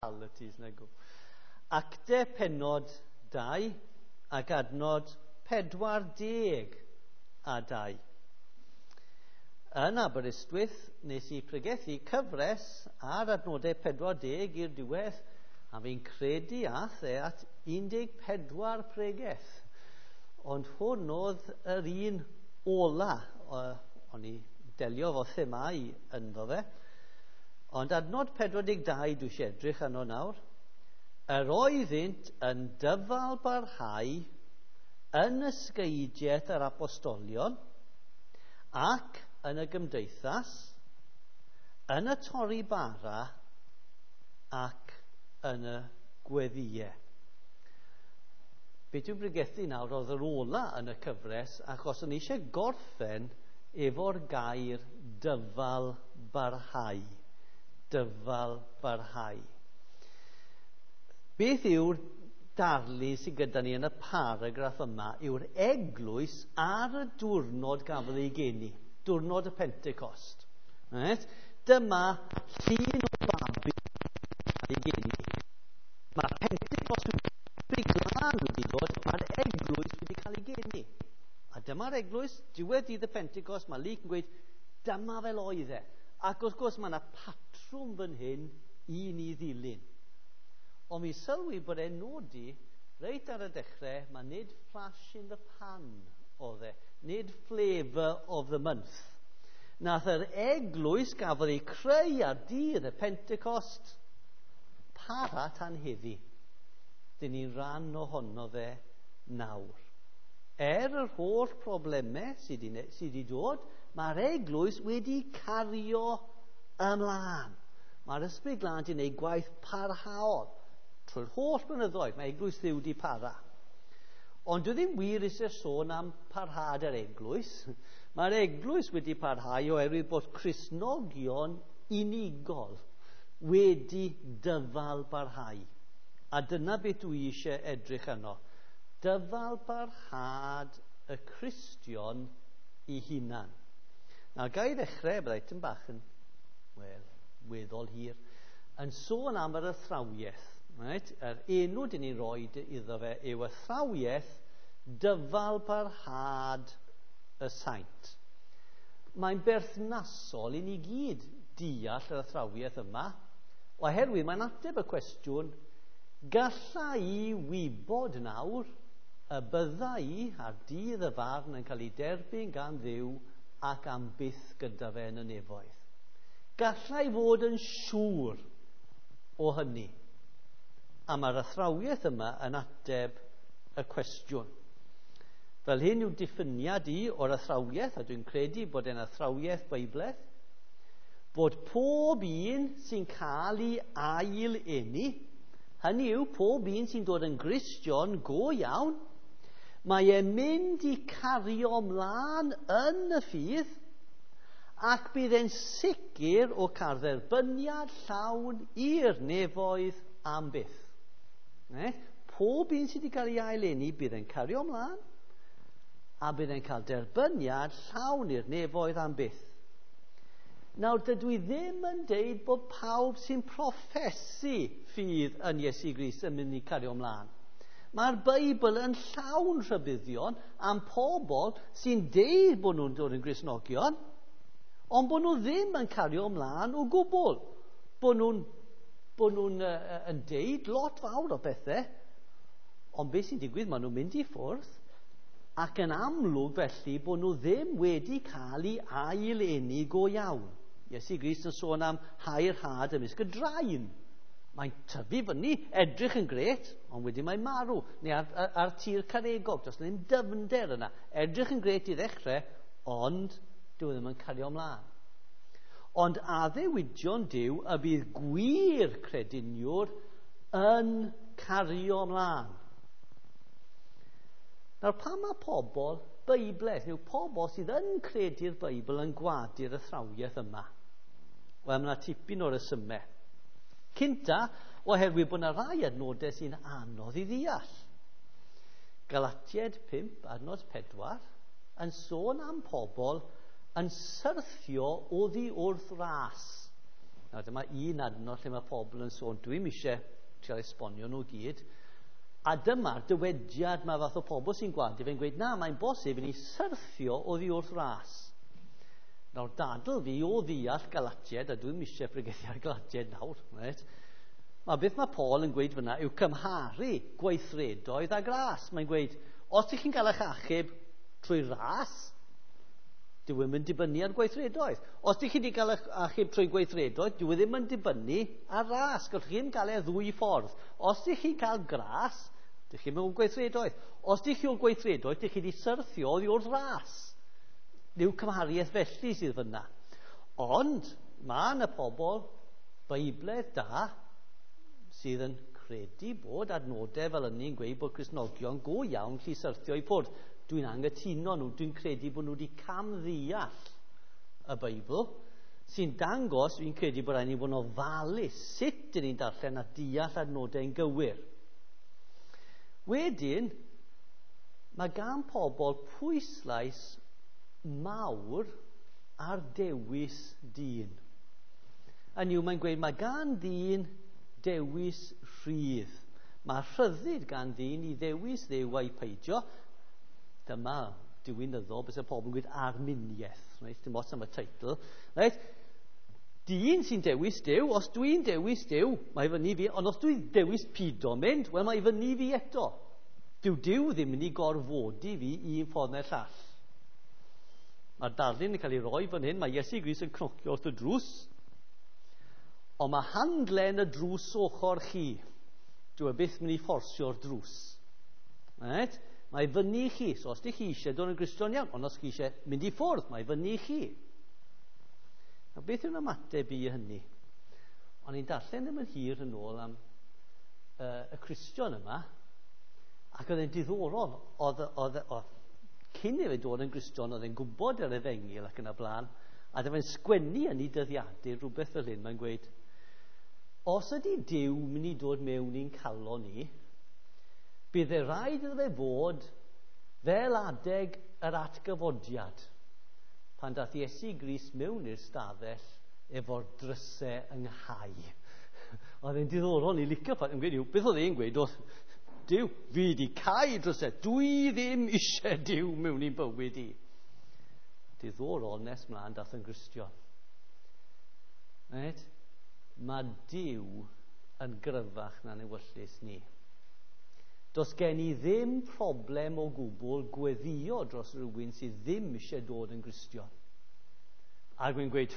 Realities na go. Acte penod 2 ac adnod 42. Yn Aberystwyth, nes i pregethu cyfres ar adnodau 40 i'r diwedd, a fi'n credu ath e at 14 pregeth. Ond hwn oedd yr un ola, o'n i delio fo themau ynddo fe. Ond adnod 42 dwi eisiau edrych arno nawr. Yr oeddynt yn dyfal barhau yn ysgeidiaeth yr apostolion ac yn y gymdeithas, yn y torri bara ac yn y gweddïau. Be dwi'n bregethu nawr oedd yr ola yn y cyfres, achos o'n i eisiau gorffen efo'r gair dyfal barhau. Dyfal barhau. Beth yw'r darlun sydd gyda ni yn y paragraff yma yw'r eglwys ar y diwrnod gafodd ei geni, diwrnod y Pentecost. Right? Dyma llun o babi ei geni. Mae'r Pentecost wedi glân wedi dod, mae'r eglwys wedi cael ei geni. A dyma'r eglwys, diwedd dydd y Pentecost, mae Luke yn gweud, dyma fel oedd e. Ac wrth gwrs mae yna patrwm fan hyn i ni ddilyn. Ond mi sylwi bod e'n nodi, reit ar y dechrau, mae nid flash in the pan oedd e, nid flavour of the month. Nath yr eglwys gafodd ei creu ar dydd y Pentecost para tan heddi. Dyn ni'n rhan ohono fe nawr. Er yr holl problemau sydd wedi dod, mae'r eglwys wedi cario ymlaen. Mae'r Ysbryd Glân wedi gwneud gwaith parhaol. Trwy'r holl blynyddoedd, mae eglwys Dduw wedi para. Ond dwi ddim wir eisiau sôn am parhad yr eglwys. Mae'r eglwys wedi parhau oherwydd bod Cristnogion unigol wedi dyfal barhau. A dyna beth dwi eisiau edrych arno. Dyfal barhad y Cristion i hunan. Nawr, ga i ddechrau, byddai tipyn bach yn, wel, weddol hir, yn sôn am yr athrawiaeth. Right? Yr enw dyn ni'n rhoi iddo fe yw athrawiaeth dyfal barhad y saint. Mae'n berthnasol i ni gyd deall yr athrawiaeth yma, oherwydd mae'n ateb y cwestiwn, galla i wybod nawr y bydda i ar dydd y farn yn cael ei derbyn gan Dduw ac am byth gyda fe yn y nefoedd. Galla i fod yn siŵr o hynny. A mae'r athrawiaeth yma yn ateb y cwestiwn. Fel hyn yw diffiniad i o'r athrawiaeth, a dwi'n credu bod e'n athrawiaeth Beiblaidd, bod pob un sy'n cael ei ail eni, hynny yw pob un sy'n dod yn Gristion go iawn, mae e'n mynd i cario ymlaen yn y ffydd, ac bydd e'n sicr o cael dderbyniad llawn i'r nefoedd am byth. Pob un sydd wedi cael ei ail eni bydd e'n cario ymlaen, a bydd e'n cael derbyniad llawn i'r nefoedd am byth. Nawr, dydw i ddim yn deud bod pawb sy'n proffesu ffydd yn Iesu Grist yn mynd i cario ymlaen. Mae'r Beibl yn llawn rhybuddion am pobl sy'n deud bod nhw'n dod yn Gristnogion, ond bod nhw ddim yn cario ymlaen o gwbl. Bod nhw'n yn deud lot fawr o bethau, ond beth sy'n digwydd, maen nhw'n mynd i ffwrdd, ac yn amlwg felly bod nhw ddim wedi cael ei ail eni go iawn. Iesu Grist yn sôn am hau'r had ymysg y drain. Mae'n tyfu fyny, edrych yn grêt, ond wedyn mae'n marw. Neu ar tir caregog, does ddim dyfnder yna. Edrych yn grêt i ddechrau, ond dyw e ddim yn cario ymlaen. Ond addewidion Duw y bydd gwir crediniwr yn cario ymlaen. Nawr, pan mae pobl Beiblaidd, yw pobl sydd yn credu'r Beibl yn gwadu'r athrawiaeth yma? Wel, mae yna tipyn o resymau. Cynta, oherwydd bod yna rai adnodau sy'n anodd i ddeall. Galatiaid 5, adnod 4, yn sôn am pobl yn syrthio oddi wrth ras. Nawr dyma un adnod lle mae pobl yn sôn, dwi'm eisiau trial esbonio nhw gyd. A dyma'r dywediad mae fath o pobl sy'n gwadu fe'n gweud, na, mae'n bosib i ni syrthio oddi wrth ras. Nawr, dadl fi o ddeall Galatiaid, a dwi'm eisiau pregethu ar Galatiaid nawr, reit? Mae beth mae Paul yn gweud fyna yw cymharu gweithredoedd a gras. Mae'n gweud, os ydych chi'n cael eich achub trwy ras, dyw e ddim yn dibynnu ar gweithredoedd. Os ydych chi wedi cael eich achub trwy gweithredoedd, dyw e ddim yn dibynnu ar ras. Gallwch chi ddim cael e ddwy ffordd. Os ydych chi'n cael gras, ydych chi'n mewn gweithredoedd. Os ydych chi o gweithredoedd, ydych chi wedi syrthio oddi wrth ras. Yw cymhariaeth felly sydd fyna. Ond mae yna pobl Beiblaidd da sydd yn credu bod adnodau fel hynny'n gweud bod Cristnogion go iawn llu syrthio i ffwrdd. Dwi'n anghytuno nhw, dwi'n credu bod nhw wedi camddeall y Beibl, sy'n dangos, fi'n credu bod rhaid ni fod yn ofalus sut dyn ni'n darllen a deall adnodau'n gywir. Wedyn, mae gan pobl pwyslais mawr ar dewis dyn. Hynny yw, mae'n gweud mae gan ddyn dewis rhydd. Mae rhyddid gan ddyn i ddewis Dduw a'i peidio. Dyma diwinyddol, bys y pobl yn gweud arminiaeth. Reit? Dim ots am y teitl. Reit? Dyn sy'n dewis Duw, os dwi'n dewis Duw, mae fyny fi, ond os dwi'n dewis pido mynd, wel mae fyny fi eto. Dyw Duw ddim yn ei gorfodi fi un ffordd neu'r llall. Mae'r darlun yn cael ei roi fan hyn, mae Iesu Grist yn cnocio wrth y drws, ond mae handlen y drws ochr chi. Dyw e byth mynd i fforsio'r drws. Right? Mae fyny i chi. So os ydych chi eisiau dod yn Gristion iawn, ond os chi eisiau mynd i ffwrdd, mae fyny i chi. Nawr, beth yw'n ymateb i hynny? O'n i'n darllen ddim yn hir yn ôl am y Cristion yma, ac oedd e'n diddorol. Oedd, cyn i fe dod yn Gristion, oedd e'n gwybod yr efengyl ac yn y blaen, a dyma fe'n sgwennu yn ei dyddiadur rhywbeth fel hyn, mae'n gweud, os ydy Duw mynd i dod mewn i'n calon ni, bydd e rhaid iddo fe fod fel adeg yr atgyfodiad, pan dath Iesu Grist mewn i'r stafell efo'r drysau ynghau. Oedd e'n diddorol, ni licio ffaith, yn gweud, beth oedd e'n gweud oedd, Duw, fi wedi cau drysau, dwi ddim eisiau Duw mewn i'n bywyd i. Diddorol nes mlaen dath yn Gristion. Right? Mae Duw yn gryfach na'n ewyllys ni. Does gen i ddim problem o gwbl gweddio dros rhywun sydd ddim eisiau dod yn Gristion. A dwi'n gweud,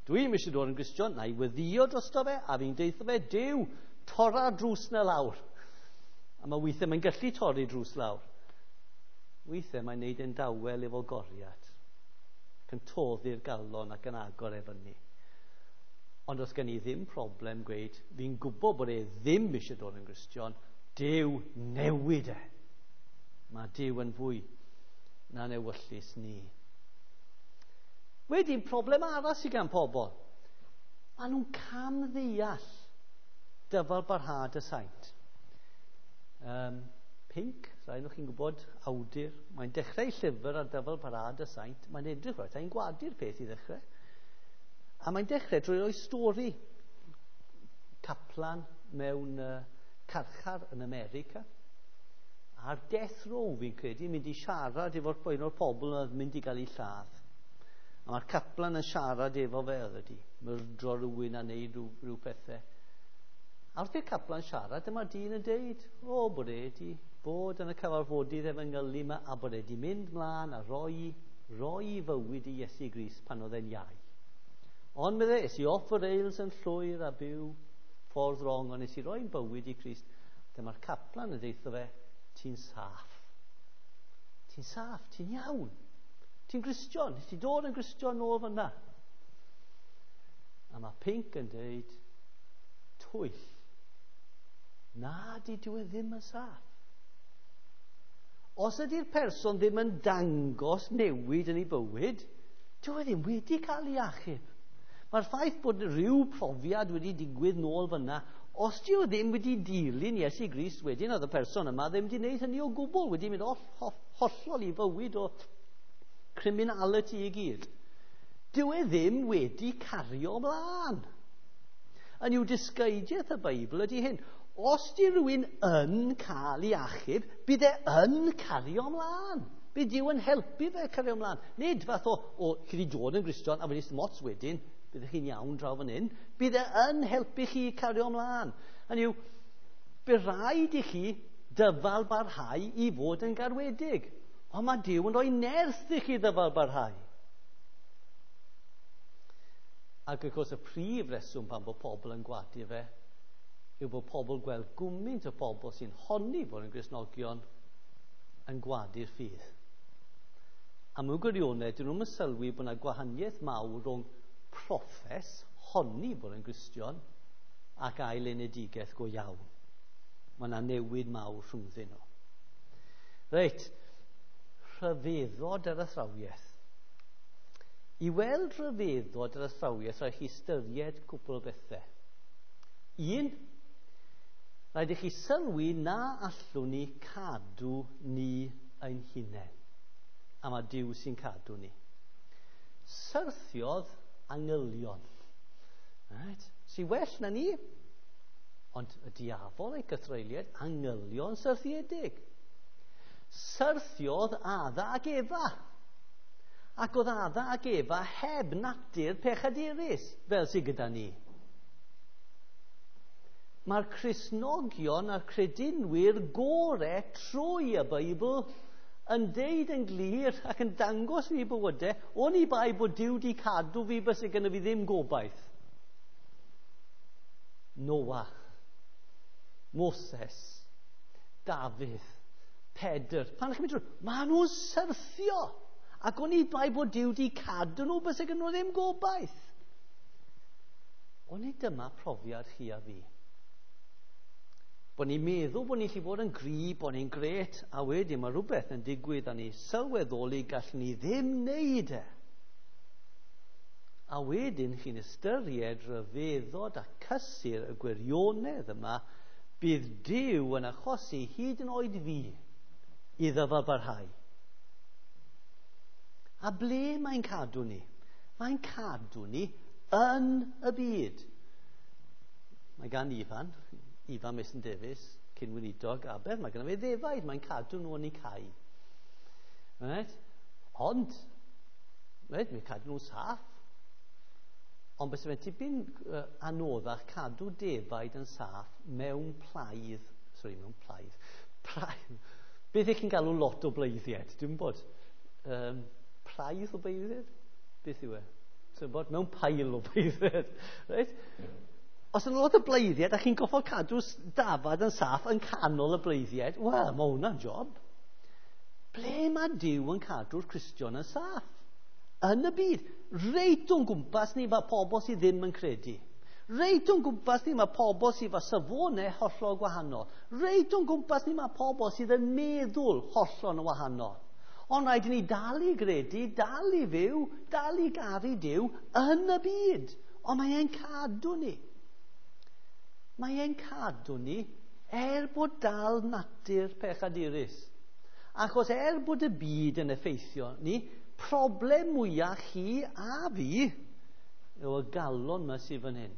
dwi'm eisiau dod yn Gristion, na i weddio drosto fe, a fi'n deutho fe, Duw, torra drws na lawr. A mae weithiau mae'n gallu torri drws lawr. Weithiau mae'n neud e'n dawel efo goriad, ac yn toddi'r galon ac yn agor e fyny. Ond os gen i ddim problem gweud, fi'n gwybod bod e ddim eisiau dod yn Gristion, Duw newid e. Mae Duw yn fwy na'n ewyllys ni. Wedyn, problem arall sydd gan pobl. Maen nhw'n camddeall dyfal barhad y saint. Pink, rhaid nhw chi'n gwybod, awdur. Mae'n dechrau llyfr ar dyfal barhad y saint. Mae'n edrych rhaid, mae'n gwadu'r peth i ddechrau. A mae'n dechrau drwy roi stori. Caplan mewn carchar yn America. A'r death row, fi'n credu, mynd i siarad efo'r un o'r pobl oedd mynd i gael ei lladd. A mae'r caplan yn siarad efo fe, oedd wedi myrdro rhywun a neud rhyw pethau. A wrth i'r caplan siarad, dyma'r dyn yn deud, o, bod e wedi bod yn y cyfarfodydd efengylu yma, a bod e wedi mynd mlaen a roi fywyd i Iesu Grist pan oedd e'n iau. Ond medde, es i off y rails yn llwyr a byw ffordd wrong, ond nes i roi'n bywyd i Crist. Dyma'r caplan yn deutho fe, ti'n saff. Ti'n saff, ti'n iawn. Ti'n Gristion, nes ti dod yn Gristion nôl fyna. A mae Pink yn deud, twyll. Na, di dyw e ddim yn saff. Os ydy'r person ddim yn dangos newid yn ei bywyd, dyw e ddim wedi cael ei achub. Mae'r ffaith bod rhyw profiad wedi digwydd nôl fyna, os dyw e ddim wedi dilyn Iesu Grist wedyn, oedd y person yma ddim wedi gwneud hynny o gwbl, wedi mynd hollol i fywyd o criminality i gyd. Dyw e ddim wedi cario ymlaen. Yn yw disgeidiaeth y Beibl ydy hyn. Os di rhywun yn cael ei achub, bydd e yn cario ymlaen. Bydd Duw yn helpu fe cario ymlaen. Nid fath o chi wedi dod yn Gristion a wedi mots wedyn, byddwch chi'n iawn draw fan hyn. Bydd e yn helpu chi cario ymlaen. Hynny yw, bydd rhaid i chi dyfal barhau i fod yn garwedig. Ond mae Duw yn rhoi nerth i chi ddyfal barhau. Ac wrth gwrs y prif reswm pan bod pobl yn gwadu fe yw bod pobl gweld gwmynt o pobl sy'n honni bod yn Gristnogion yn gwadu'r ffydd. A mewn gwirionedd, dyn nhw'n sylwi bod yna gwahaniaeth mawr rhwng proffes, honni bod yn Gristion, ac ailenedigaeth go iawn. Mae yna newid mawr rhwngddyn nhw. Reit, rhyfeddod yr athrawiaeth. I weld rhyfeddod yr athrawiaeth, rhaid chi ystyried cwpl o bethau. Un, rhaid i chi sylwi na allwn ni cadw ni ein hunain. A mae Duw sy'n cadw ni. Syrthiodd angylion. Right. Sy well na ni, ond y diafol ei gythreuliad, angylion syrthiedig. Syrthiodd Adda ac Efa. Ac oedd Adda ac Efa heb natur pechadurus, fel sydd gyda ni. Mae'r Cristnogion a'r credinwyr gore trwy y Beibl yn deud yn glir ac yn dangos i bywydau, o'n i bai bod Duw di cadw fi byse gynna fi ddim gobaith. Noah, Moses, Dafydd, Pedr. Pan chi'n mynd trwy, maen nhw'n syrthio. Ac o'n i bai bod Duw di cadw nhw byse gynna nhw ddim gobaith. O'n i dyma profiad chi a fi. Bod ni'n meddwl bod ni'n gallu bod yn gry, bod ni'n gret, a wedyn mae rhywbeth yn digwydd a ni sylweddoli gallwn ni ddim wneud e. A wedyn chi'n ystyried rhyfeddod a cysur y gwirionedd yma, bydd Duw yn achosi hyd yn oed fi i ddyfalbarhau. A ble mae'n cadw ni? Mae'n cadw ni yn y byd. Mae gan Ifan Mason Davies, cyn-weinidog Aber, mae gynno fe ddefaid, mae'n cadw nhw yn eu cae. Right? Ond, right, mae'n cadw nhw'n saff. Ond bys fe'n tipyn anoddach cadw defaid yn saff mewn plaidd, sorry, mewn plaidd, beth ych chi'n galw lot o bleiddiaid? Dwi'n bod, plaidd o bleiddiaid? Beth yw e? Dwi'n bod, mewn pail o bleiddiaid. Right? Os yna lot o bleiddiaid a chi'n goffo cadw dafad yn saff yn canol y bleiddiaid, wel, mae hwnna'n job. Ble mae Duw yn cadw'r Cristion yn saff? Yn y byd. Reit o'n gwmpas ni mae pobl sydd ddim yn credu. Reit o'n gwmpas ni mae pobl sydd efo safonau hollol gwahanol. Reit o'n gwmpas ni mae pobl sydd yn meddwl hollol yn wahanol. Ond rhaid i ni dal i gredu, dal i fyw, dal i garu Duw yn y byd. Ond mae e'n cadw ni. Mae e'n cadw ni er bod dal natur pechadurus. Achos er bod y byd yn effeithio ni, problem mwyaf chi a fi yw y galon yma sydd fan hyn.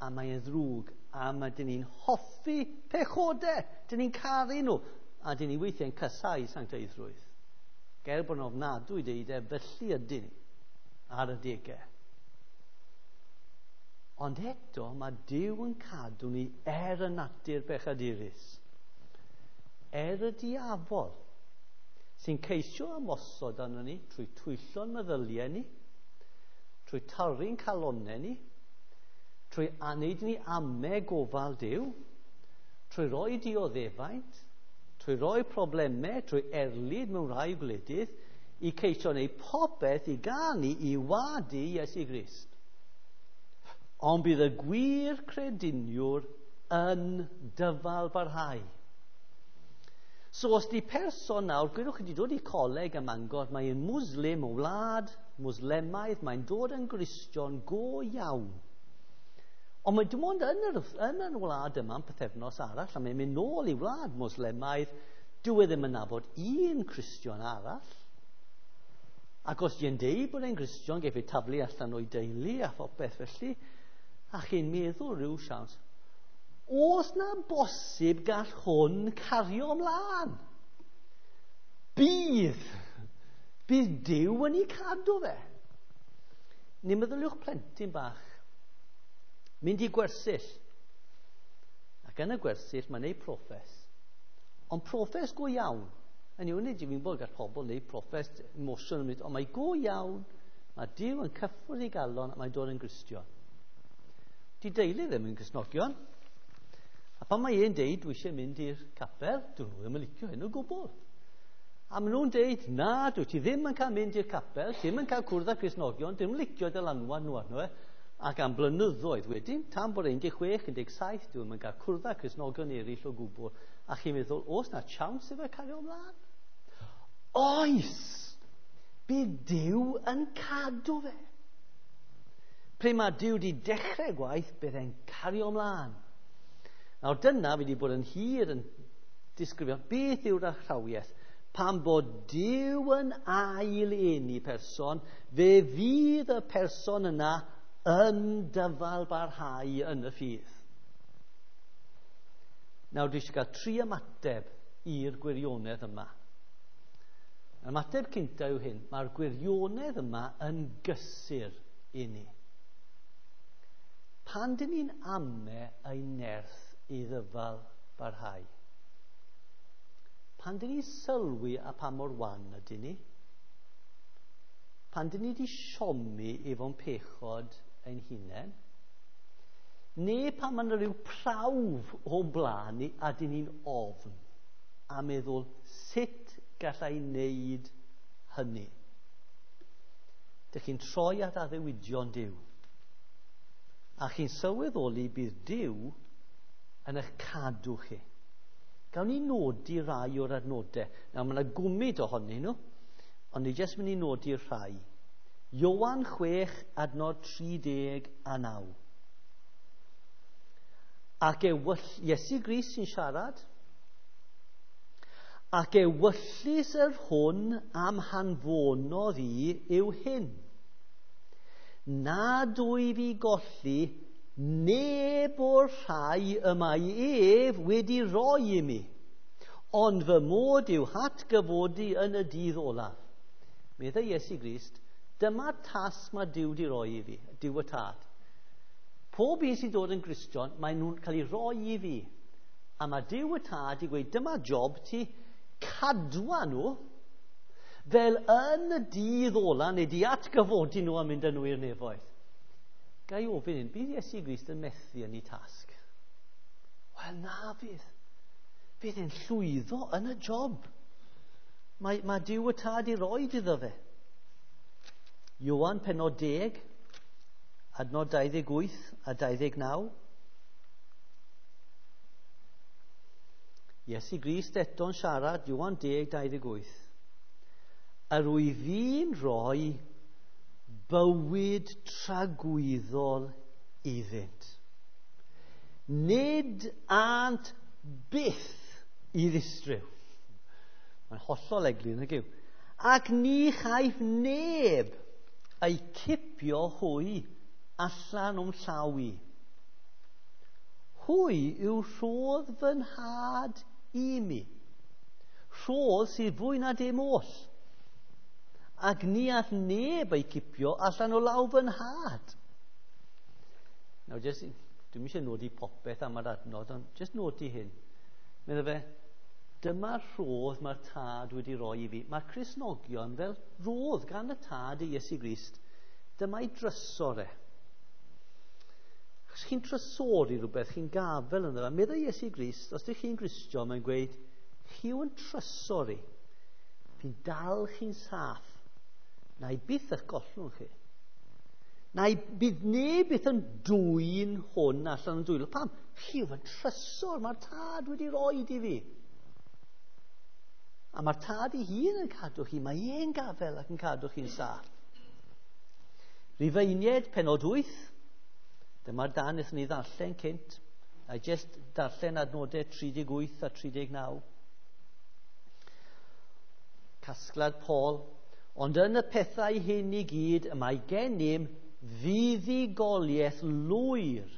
A mae e'n ddrwg, a mae dyn ni'n hoffi pechodau, dyn ni'n caru nhw, a dyn ni weithiau'n casau sancteiddrwydd. Ger bod yn ofnadwy deud e, felly ydyn ni ar y degau. Ond eto mae Duw yn cadw ni er y natur bechadurus, er y diafol, sy'n ceisio ymosod arno ni trwy twyllo'n meddyliau ni, trwy torri'n calonnau ni, trwy wneud ni ame gofal Duw, trwy roi dioddefaint, trwy roi problemau, trwy erlid mewn rhai gwledydd, i ceisio wneud popeth i gael ni i wadu Iesu Grist. Ond bydd y gwir crediniwr yn dyfal barhau. So os di person nawr, gwydwch chi wedi dod i coleg ym Mangor, mae'n Muslim o wlad, Muslemaidd, mae'n dod yn Gristion go iawn. Ond mae dim ond yn yr wlad yma, yn pythefnos arall, a mae'n mynd nôl i wlad Muslemaidd, dyw e ddim yn nabod un Cristion arall. Ac os di'n deud bod e'n Gristion, geiff ei taflu allan o'i deulu a phopeth felly. A chi'n meddwl rhyw siawns, oes na bosib gall hwn cario ymlaen? Bydd! Bydd Duw yn ei cadw fe. Neu meddyliwch plentyn bach. Mynd i gwersyll. Ac yn y gwersyll mae'n neud proffes. Ond proffes go iawn. Yn yw, nid yw'n bod gall pobl wneud proffes emosiwn, ond mae go iawn. Mae Duw yn cyffwrdd ei galon a mae'n dod yn Gristion. Di deulu ddim yn Gristnogion. A pan mae e'n deud, dwi eisiau mynd i'r capel, dyn nhw ddim yn licio hyn o gwbl. A maen nhw'n deud, na, dwi ti ddim yn cael mynd i'r capel, ti ddim yn cael cwrdd â Cristnogion, dim yn licio dylanwad nhw arno e. Ac am blynyddoedd wedyn, tan bod 16, 17, dwi ddim yn cael cwrdd â Cristnogion eraill o gwbl. A chi'n meddwl, oes na chance efo cario ymlaen? Oes! Bydd Duw yn cadw fe. Pryd mae Duw wedi dechrau gwaith, bydd e'n cario ymlaen. Nawr dyna fi wedi bod yn hir yn disgrifio beth yw'r athrawiaeth. Pan bod Duw yn ail-eni person, fe fydd y person yna yn dyfal barhau yn y ffydd. Nawr dwi eisiau cael tri ymateb i'r gwirionedd yma. Yr ymateb cynta yw hyn, mae'r gwirionedd yma yn gysur i ni. Pan dyn ni'n ame ein nerth i ddyfal barhau? Pan dyn ni'n sylwi a pa mor wan ydyn ni? Pan dyn ni wedi siomi efo'n pechod ein hunain? Neu pan mae yna rhyw prawf o'n blaen ni a dyn ni'n ofn a meddwl sut gallai wneud hynny? Dych chi'n troi at addewidion Duw. A chi'n sylweddoli bydd Duw yn eich cadw chi. Gawn ni nodi rai o'r adnodau. Nawr, mae yna gwmyd ohonyn nhw, ond ni jyst mynd i nodi rhai. Ioan 6, adnod 39. Ac Iesu Grist sy'n siarad. Ac ewyllys yr hwn am hanfonodd i yw hyn. Na dwy fi golli neb o'r rhai y mae ef wedi roi i mi, ond fy mod i'w hatgyfodi yn y dydd olaf. Meddai Iesu Grist, dyma tasg mae Duw wedi roi i fi, Duw y Tad. Pob un sy'n dod yn Gristion, mae nhw'n cael ei roi i fi. A mae Duw y Tad i gweud, dyma job ti, cadwa nhw, fel yn y dydd ola, neu di atgyfodi nhw a mynd â nhw i'r nefoedd. Ga i ofyn hyn, bydd Iesu Grist yn methu yn ei tasg? Wel, na fydd. Fydd e'n llwyddo yn y job. Mae Duw y Tad i roed iddo fe. Ioan penod 10, adnod 28 a 29. Iesu Grist eto'n siarad, Ioan 10, 28. Yr wyf fi'n rhoi bywyd tragwyddol iddynt. Nid ânt byth i ddistryw. Mae'n hollol eglur, nag yw? Ac ni chaiff neb eu cipio hwy allan o'm llaw i. Hwy yw rhodd fy nhad i mi. Rhodd sydd fwy na dim oll. Ac ni all neb ei cipio allan o law fy nhad. Nawr, jyst, dwi'm eisiau nodi popeth am yr adnod, ond jyst nodi hyn. Meddai fe, dyma'r rhodd mae'r Tad wedi roi i fi. Mae'r Cristnogion fel rhodd gan y Tad i Iesu Grist. Dyma'i drysor e. Os chi'n trysori rhywbeth, chi'n gafel ynddo fe. Meddai Iesu Grist, os ydych chi'n Gristion, mae'n gweud, chi yw'n trysori. Fi'n dal chi'n saff. Na i byth eich gollwng chi. Na i bydd neb byth yn dwyn hwn allan yn dwylo. Pam? Chi yw fy trysor, mae'r Tad wedi roed i fi. A mae'r Tad ei hun yn cadw chi, mae e'n gafel ac yn cadw chi'n saff. Rufeiniaid, penod 8. Dyma'r dan wnaethon ni ddarllen cynt. A jyst darllen adnodau 38 a 39. Casgliad Paul. Ond yn y pethau hyn i gyd y mae gennym Fuddugoliaeth lwyr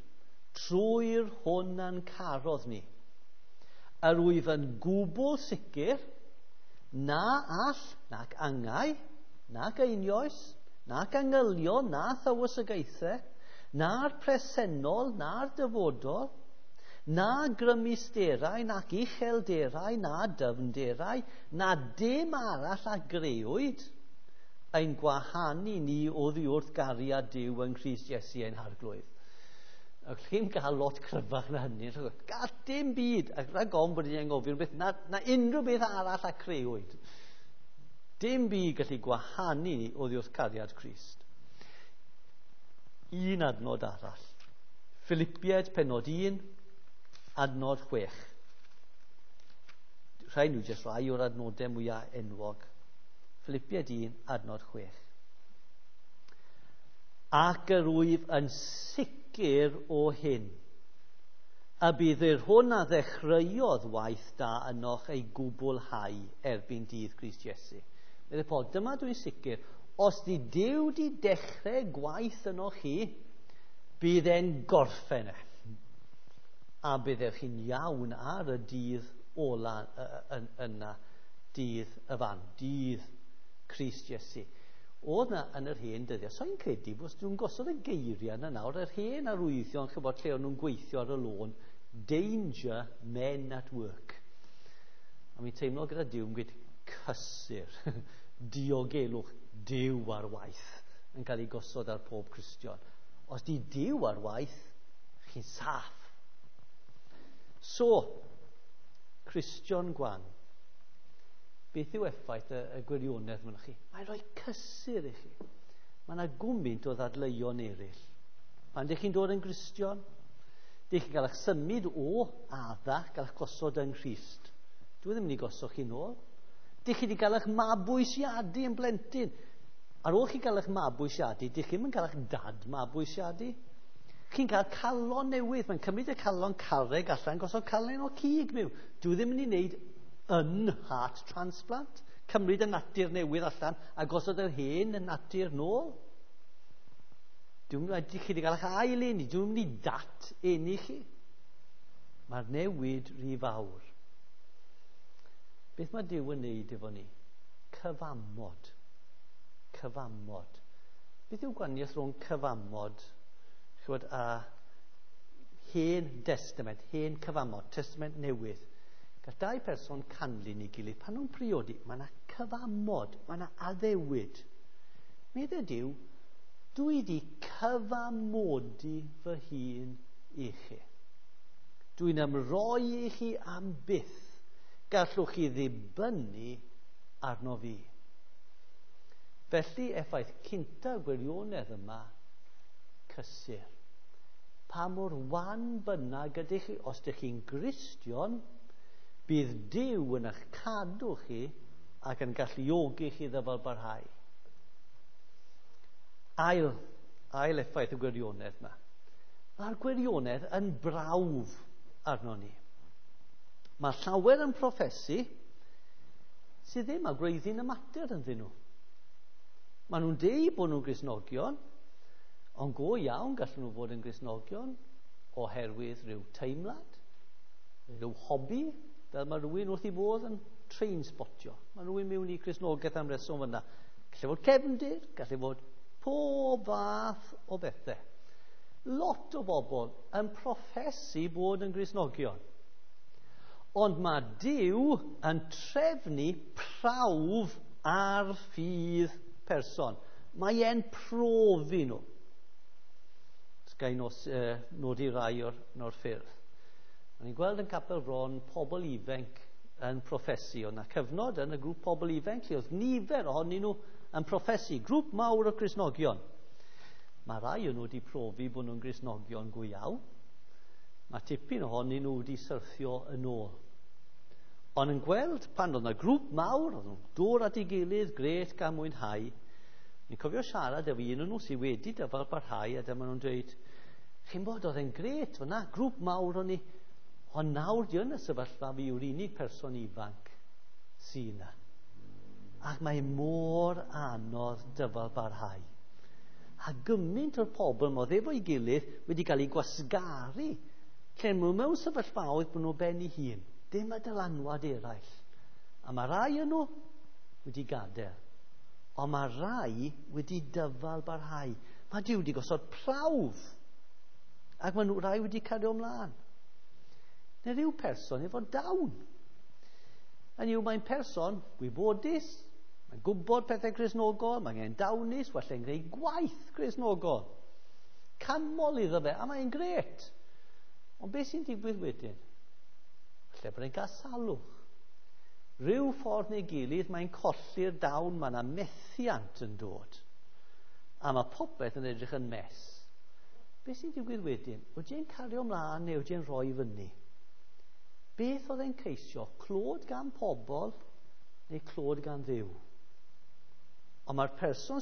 trwy'r hwn a'n carodd ni. Yr wyf yn gwbl sicr na all, nac angau, nac einioes, nac angylion, na thywysogaethau, na'r presennol, na'r dyfodol, na grymusterau, nac uchelderau, na dyfnderau, na dim arall a grëwyd ein gwahanu ni oddi wrth gariad Duw yng Nghrist Iesu ein Harglwydd. Ac chi'n cael lot cryfach na hynny. Gall dim byd, ac rhag ofn bod ni'n anghofio beth, na unrhyw beth arall a crëwyd. Dim byd gallu gwahanu ni oddi wrth cariad Crist. Un adnod arall. Philippiaid pennod 1, adnod 6. Rhai nhw jyst rai o'r adnodau mwyaf enwog. Philippiaid 1, adnod 6. Ac yr wyf yn sicr o hyn, y bydd yr hwn a ddechreuodd waith da ynoch ei gwblhau erbyn dydd Crist Iesu. Meddai Paul, dyma dwi'n sicr, os di Duw di dechrau gwaith ynoch chi, bydd e'n gorffen e. A byddech chi'n iawn ar y dydd ola yna, dydd y fan, dydd Crist Iesu. Oedd na yn yr hen dyddiau, so i'n credu bod nhw'n gosod y geiriau yna nawr, yr hen arwyddion, chybod, lle o'n nhw'n gweithio ar y lôn, danger, men at work. A mi'n teimlo gyda Duw yn gweud cysur, diogelwch, Duw ar waith yn cael ei gosod ar pob Cristion. Os di Duw ar waith, chi'n saff. So, Cristion gwan, beth yw effaith y gwirionedd mwyn chi? Mae'n rhoi cysur i chi. Mae yna gwmynt o ddadleuon eraill. Pan ydych chi'n dod yn Gristion, dych chi'n cael eich symud o Adda, gael eich gosod yng Nghrist. Dwi ddim yn ei gosod chi nôl. Dych chi wedi cael eich mabwysiadu yn blentyn. Ar ôl chi gael eich mabwysiadu, dych chi'n cael eich dad mabwysiadu. Chi'n cael calon newydd. Mae'n cymryd y calon carreg allan, gosod calon o cig mewn. Dwi ddim yn ei wneud yn heart transplant. Cymryd y natur newydd allan a gosod yr hen y natur nôl. Dwi'n mynd chi wedi cael eich ail eni. Dwi'n mynd i dat eni chi. Mae'r newid rhy fawr. Beth mae Duw yn neud efo ni? Cyfamod. Cyfamod. Beth yw gwahaniaeth rhwng cyfamod, chywed, a hen testament, hen cyfamod, testament newydd? Gall dau person canlyn i gilydd. Pan nhw'n priodi, mae yna cyfamod, mae yna addewid. Meddai Duw, dwi wedi cyfamodi fy hun i chi. Dwi'n ymroi i chi am byth. Gallwch chi ddibynnu arno fi. Felly, effaith cynta gwirionedd yma, cysur. Pa mor wan bynnag ydych chi, os ydych chi'n Gristion, bydd Duw yn eich cadw chi ac yn galluogi chi ddyfal barhau. Ail effaith y gwirionedd yma. Mae'r gwirionedd yn brawf arno ni. Mae llawer yn proffesu sydd ddim â gwreiddyn y mater ynddyn nhw. Maen nhw'n deud bod nhw'n Gristnogion, ond go iawn gallen nhw fod yn Gristnogion oherwydd rhyw teimlad, rhyw hobi, fel mae rhywun wrth ei bodd yn train spotio. Mae rhywun mewn i Gristnogaeth am reswm fyna. Gallu fod cefndir, gallu fod pob fath o bethau. Lot o bobl yn proffesu bod yn Gristnogion. Ond mae Duw yn trefnu prawf ar ffydd person. Mae e'n profi nhw. Ga i nodi rai o'r ffyrdd. O'n i'n gweld yn Capel Bron pobl ifanc yn proffesu. Oedd yna cyfnod yn y grŵp pobl ifanc lle oedd nifer ohonyn nhw yn proffesu. Grŵp mawr o Gristnogion. Mae rai o'n nhw wedi profi bod nhw'n Gristnogion go iawn. Mae tipyn ohonyn nhw wedi syrthio yn ôl. Ond yn gweld pan oedd yna grŵp mawr, oedd nhw'n dod at ei gilydd, gret gan mwynhau. Ni'n cofio siarad efo un o'n nhw sydd wedi dyfal barhau, a dyma nhw'n dweud, chi'n bod, oedd e'n gret fyna, grŵp mawr o'n ni, ond nawr di yn y sefyllfa fi yw'r unig person ifanc sy'n yna. Ac mae mor anodd dyfal barhau. A gymaint o'r pobl modd efo'i gilydd wedi cael eu gwasgaru. Lle nhw mewn sefyllfaoedd bod nhw ben eu hun. Dim y dylanwad eraill. A mae rai yn nhw wedi gadael. Ond mae rai wedi dyfal barhau. Mae Duw wedi gosod prawf. Ac mae nhw rai wedi cario ymlaen. Neu rhyw person efo dawn. Hynny yw, mae'n person gwybodus, mae'n gwybod pethau Cristnogol, mae'n dawnus, walle'n gwneud gwaith Cristnogol. Canmol iddo fe, a mae'n grêt. Ond beth sy'n digwydd wedyn? Falle bod e'n cael salwch. Rhyw ffordd neu gilydd, mae'n colli'r dawn, mae yna methiant yn dod. A mae popeth yn edrych yn mess. Beth sy'n digwydd wedyn? Wyt ti'n cario ymlaen neu wyt ti'n rhoi fyny? Beth oedd e'n ceisio? Clod gan pobl neu clod gan Dduw? Ond mae'r person